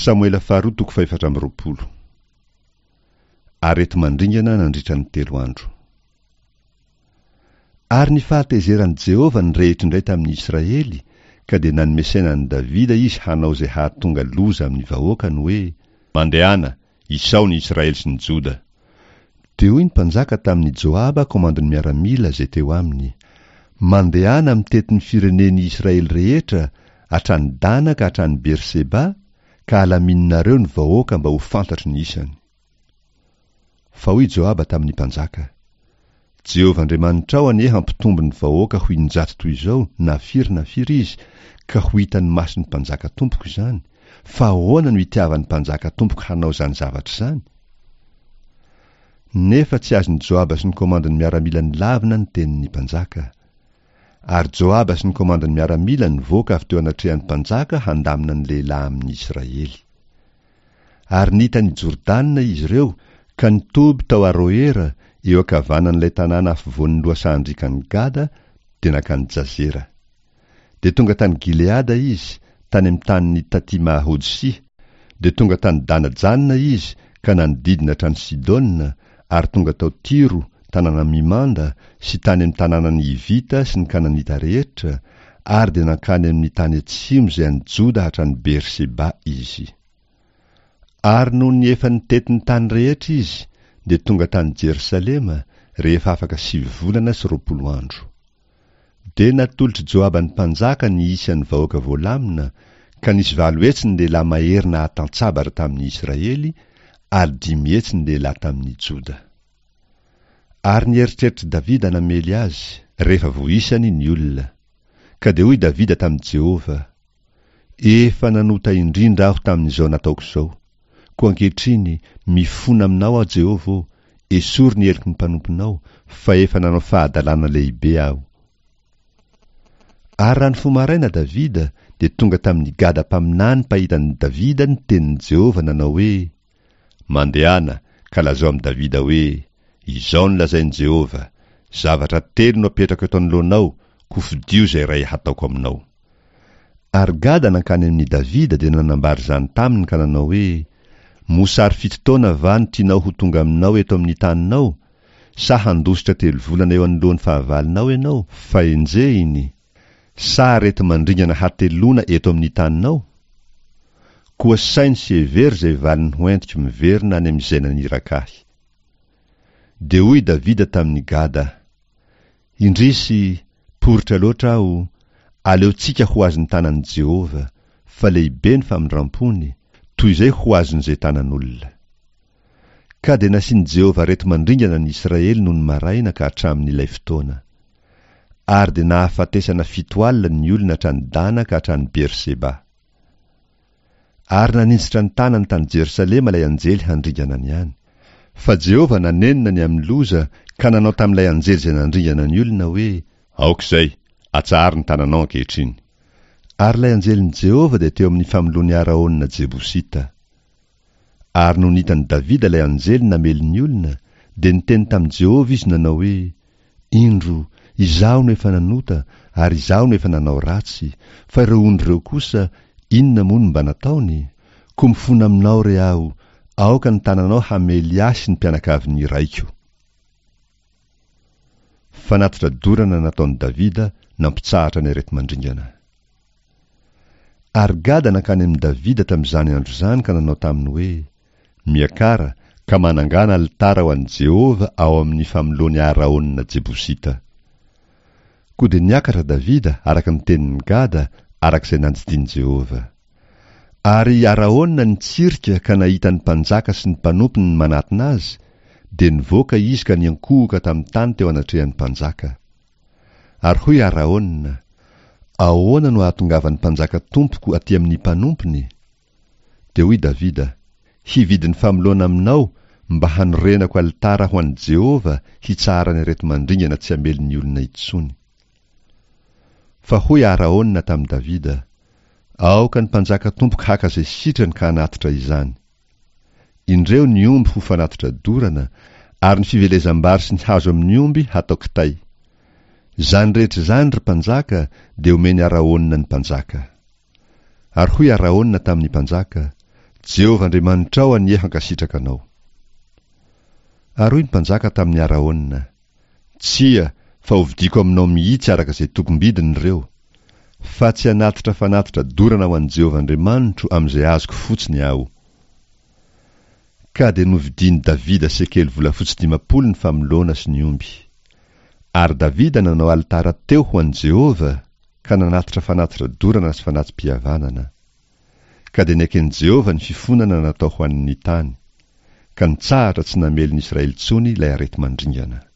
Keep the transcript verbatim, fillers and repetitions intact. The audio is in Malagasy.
Samoela faharoa toko fahefatra amby roapolo. Areti-mandringana nandritra ny telo andro. Ary ny fahatezeran'i Jehovah nirehitra indray tamin'ny Israely, ka dia nanome saina an'i Davida izy hanao izay hahatonga loza amin'ny vahoakany hoe, Mandehana, isao ny Israely sy ny Joda. Dia hoy ny mpanjaka tamin'i Joaba komandin'ny miaramila izay teo aminy, Mandehana mitety ny firenen'i Israely rehetra, hatrany Dana ka hatrany Berseba, ka alamininareo ny vahoaka mba ho fantatro ny isany. Fa hoy Joaba tamin'ny mpanjaka, Jehovah Andriamanitrao anie hampitombo ny vahoaka ho injato toy izao na firy na firy izy, ka ho hitan'ny mason'ny mpanjaka tompoko izany, fa ahoana no itiavan'ny mpanjaka tompoko hanao izany zavatra izany? Nefa tsy azon'i Joaba sy ny komandin'ny miaramila nilavina ny tenin'ny mpanjaka. Ary Joaba sy ny komandin'ny miaramila nivoaka avy teo anatrehan'ny mpanjaka handamina ny lehilahy amin'ny Israely. Ary nita an'i Jordana izy ireo ka nitoby tao Aroera eo ankavanan'ilay tanàna afovoan'ny lohasahan-driakan'i Gada, dia nankany Jazera. Dia tonga tany Gileada izy, tany amin'ny tanin'ny Tatima-Hodsia, dia tonga tany Dana-Janina izy ka nanodidina hatrany Sidona, ary tonga tao Tyro, tanàna mimanda, sy tany amin'ny tanànan'ny Hivita sy ny Kananita rehetra, ary dia nankany amin'ny tany atsimo izay an'i Joda hatrany Berseba izy. Ary nony efa nitety ny tany rehetra izy, dia tonga tany Jerosalema, rehefa afaka sivy volana sy roapolo andro. Dia natolotr'i Joaba ny mpanjaka ny isan'ny vahoaka voalamina, ka nisy valo hetsy ny lehilahy mahery nahatantsabatra tamin'ny Israely, ary dimy hetsy ny lehilahy tamin'ny Joda. Ary ny eritreritr'i Davida namely azy, rehefa voaisany ny olona. Ka dia hoy Davida tamin'i Jehovah, Efa nanota indrindra aho tamin'izao nataoko izao. Koa ankehitriny, mifona aminao aho, Jehovah ô, esory ny heloky ny mpanomponao, fa efa nanao fahadalana lehibe aho. Ary raha nifoha maraina Davida, dia tonga tamin'i Gada mpaminany mpahita an'i Davida ny tenin'i Jehovah nanao hoe, Mandehana, ka lazao amin'i Davida hoe, Izao no lazain'i Jehovah, Zavatra telo no apetrako eto anoloanao, koa fidio izay iray hataoko aminao. Ary Gada nankany amin'i Davida dia nanambara izany taminy ka nanao hoe, Mosary fito taona va no tianao ho tonga aminao eto amin'ny taninao? Sa handositra telo volana eo anoloan'ny fahavalonao ianao, fa enjehiny? Sa areti-mandringana hateloana eto amin'ny taninao? Koa saino sy hevero izay valiny hoentiko miverina any amin'izay naniraka ahy. Dia hoy Davida tamin'i Gada, Indrisy, poritra loatra aho, aleontsika ho azon'ny tanan'i Jehovah, fa lehibe ny famindrampony, toy izay ho azon'izay tanan'olona. Ka dia nasian'i Jehovah areti-mandringana ny Israely nony maraina ka hatramin'ilay fotoana. Ary dia nahafatesana fito alina ny olona hatrany Dana ka hatrany Berseba. Ary naninjitra ny tanany tany Jerosalema ilay anjely handringana ny any. Fa Jehovah nanenina ny amin'ny loza ka nanao tamin'ilay anjely izay nandringana ny olona hoe, Aoka izay, atsaharo ny tananao ankehitriny. Ary ilay anjelin'i Jehovah dia teo amin'ny famoloan'i Araona Jebosita. Ary nony hitan'i Davida ilay anjely namely ny olona, dia niteny tamin'i Jehovah izy nanao hoe, Indro, izaho no efa nanota, ary izaho no efa nanao ratsy, fa ireo ondry ireo kosa, inona moa no mba nataony? Koa mifona aminao re aho, aoka ny tananao hamely ahy sy ny mpianakavin'ny raiko. Fanatitra dorana nataon'i Davida nampitsahatra ny areti-mandringana. Ary Gada nankany amin'i Davida tamin'izany andro izany ka nanao taminy hoe, Miakara, ka manangàna alitara ho an'i Jehovah ao amin'ny famoloan'i Araona Jebosita. Koa dia niakatra Davida araka ny tenin'i Gada, araka izay nandidian'i Jehovah. Ary i Araona nitsirika ka nahita ny mpanjaka sy ny mpanompony manatona azy, dia nivoaka izy ka niankohoka tamin'ny tany teo anatrehan'ny mpanjaka. Ary hoy Araona, Ahoana no ahatongavan'ny mpanjaka tompoko aty amin'ny mpanompony? Dia hoy Davida, Hividy ny famoloana aminao mba hanorenako alitara ho an'i Jehovah hitsaharany areti-mandringana tsy hamely ny olona intsony. Fa hoy Araona tamin'i Davida, Aoka ny mpanjaka tompoko haka izay sitrany ka hanatitra izany. Indreo ny omby ho fanatitra dorana, ary ny fivelezam-bary sy ny hazo amin'ny omby hatao kitay. Izany rehetra izany, ry mpanjaka, dia omen'i Araona ny mpanjaka. Ary hoy Araona tamin'ny mpanjaka, Jehovah Andriamanitrao anie hankasitraka anao. Ary hoy ny mpanjaka tamin'i Araona, Tsia, fa hovidiako aminao mihitsy araka izay tokom-bidiny ireo. Fa tsy hanatitra fanatitra dorana ho an'i Jehovah Andriamanitro amin'izay azoko fotsiny aho. Ka dia novidian'i Davida sekely volafotsy dimampolo ny famoloana sy ny omby. Ary Davida nanao alitara teo ho an'i Jehovah, ka nanatitra fanatitra dorana sy fanati-pihavanana. Ka dia neken'i Jehovah ny fifonana natao ho an'ny tany, ka nitsahatra tsy namely ny Israely intsony ilay areti-mandringana.